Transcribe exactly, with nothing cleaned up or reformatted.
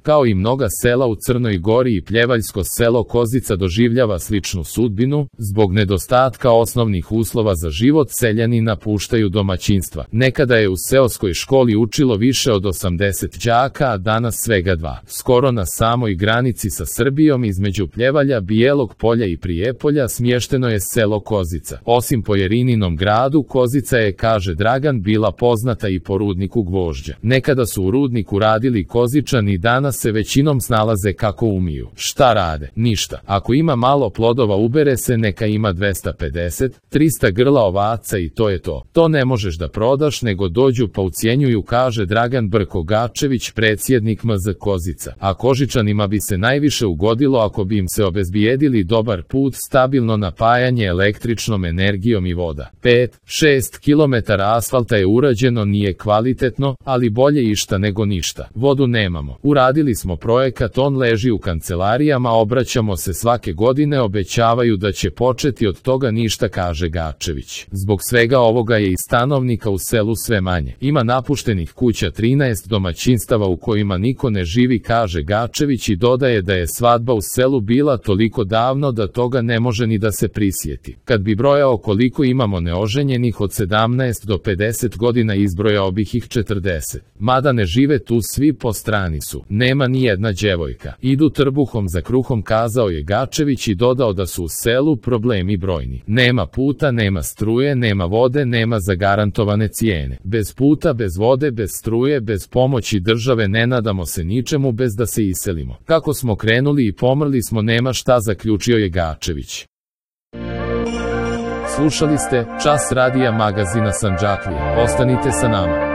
Kao i mnoga sela u Crnoj Gori i pljevaljsko selo Kozica doživljava sličnu sudbinu, zbog nedostatka osnovnih uslova za život seljani napuštaju domaćinstva. Nekada je u seoskoj školi učilo više od osamdeset đaka, a danas svega dva. Skoro na samoj granici sa Srbijom između Pljevalja, Bijelog Polja i Prijepolja smješteno je selo Kozica. Osim po Jerininom gradu, Kozica je, kaže Dragan, bila poznata i po rudniku gvožđa. Nekada su u rudniku radili Kozičani, danas se većinom snalaze kako umiju. Šta rade? Ništa. Ako ima malo plodova ubere se, neka ima dvesta pedeset, trista grla ovaca i to je to. To ne možeš da prodaš, nego dođu pa ucijenjuju, kaže Dragan Brko-Gačević, predsjednik M Z Kozica. A Kožičanima bi se najviše ugodilo ako bi im se obezbijedili dobar put, stabilno napajanje električnom energijom i voda. pet do šest kilometara asfalta je urađeno, nije kvalitetno, ali bolje išta nego ništa. Vodu nemamo. Uradili smo projekat, on leži u kancelarijama, obraćamo se svake godine, obećavaju da će početi, od toga ništa, kaže Gačević. Zbog svega ovoga je i stanovnika u selu sve manje. Ima napuštenih kuća trinaest domaćinstava u kojima niko ne živi, kaže Gačević, i dodaje da je svadba u selu bila toliko davno da toga ne može ni da se prisjeti. Kad bi brojao koliko imamo neoženjenih od sedamnaest do pedeset godina, izbrojao bih ih četrdeset. Mada ne žive tu svi, po strani su. Nema ni jedna djevojka. Idu trbuhom za kruhom, kazao je Gačević i dodao da su u selu problemi brojni. Nema puta, nema struje, nema vode, nema zagarantovane cijene. Bez puta, bez vode, bez struje, bez pomoći države ne nadamo se ničemu bez da se iselimo. Kako smo krenuli i pomrli smo, nema šta, zaključio je Gačević. Slušali ste Čas radija magazina Sandžaklije. Ostanite sa nama.